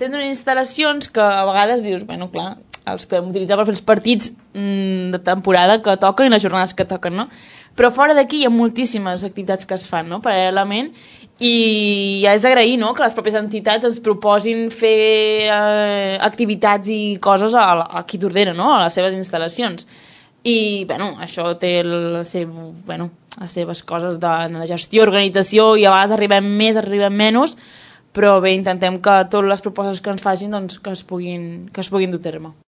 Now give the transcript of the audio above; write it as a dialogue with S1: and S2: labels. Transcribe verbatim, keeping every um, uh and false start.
S1: tenen unes instal·lacions que a vegades dius, bueno, clar, els podem utilitzar per fer els partits mm, de temporada que toquen i les jornades que toquen, no? Però fora d'aquí hi ha moltíssimes activitats que es fan, no?, paral·lelament, i ja és d'agrair, no?, que les pròpies entitats ens proposin fer eh, activitats i coses a, a qui t'ordena, no?, a les seves instal·lacions. I, bueno, això té el seu, bueno, les seves coses de, de gestió, organització, i a vegades arribem més, arribem menys, però bé, intentem que totes les propostes que ens facin doncs, que, es puguin, que es puguin dur a terme.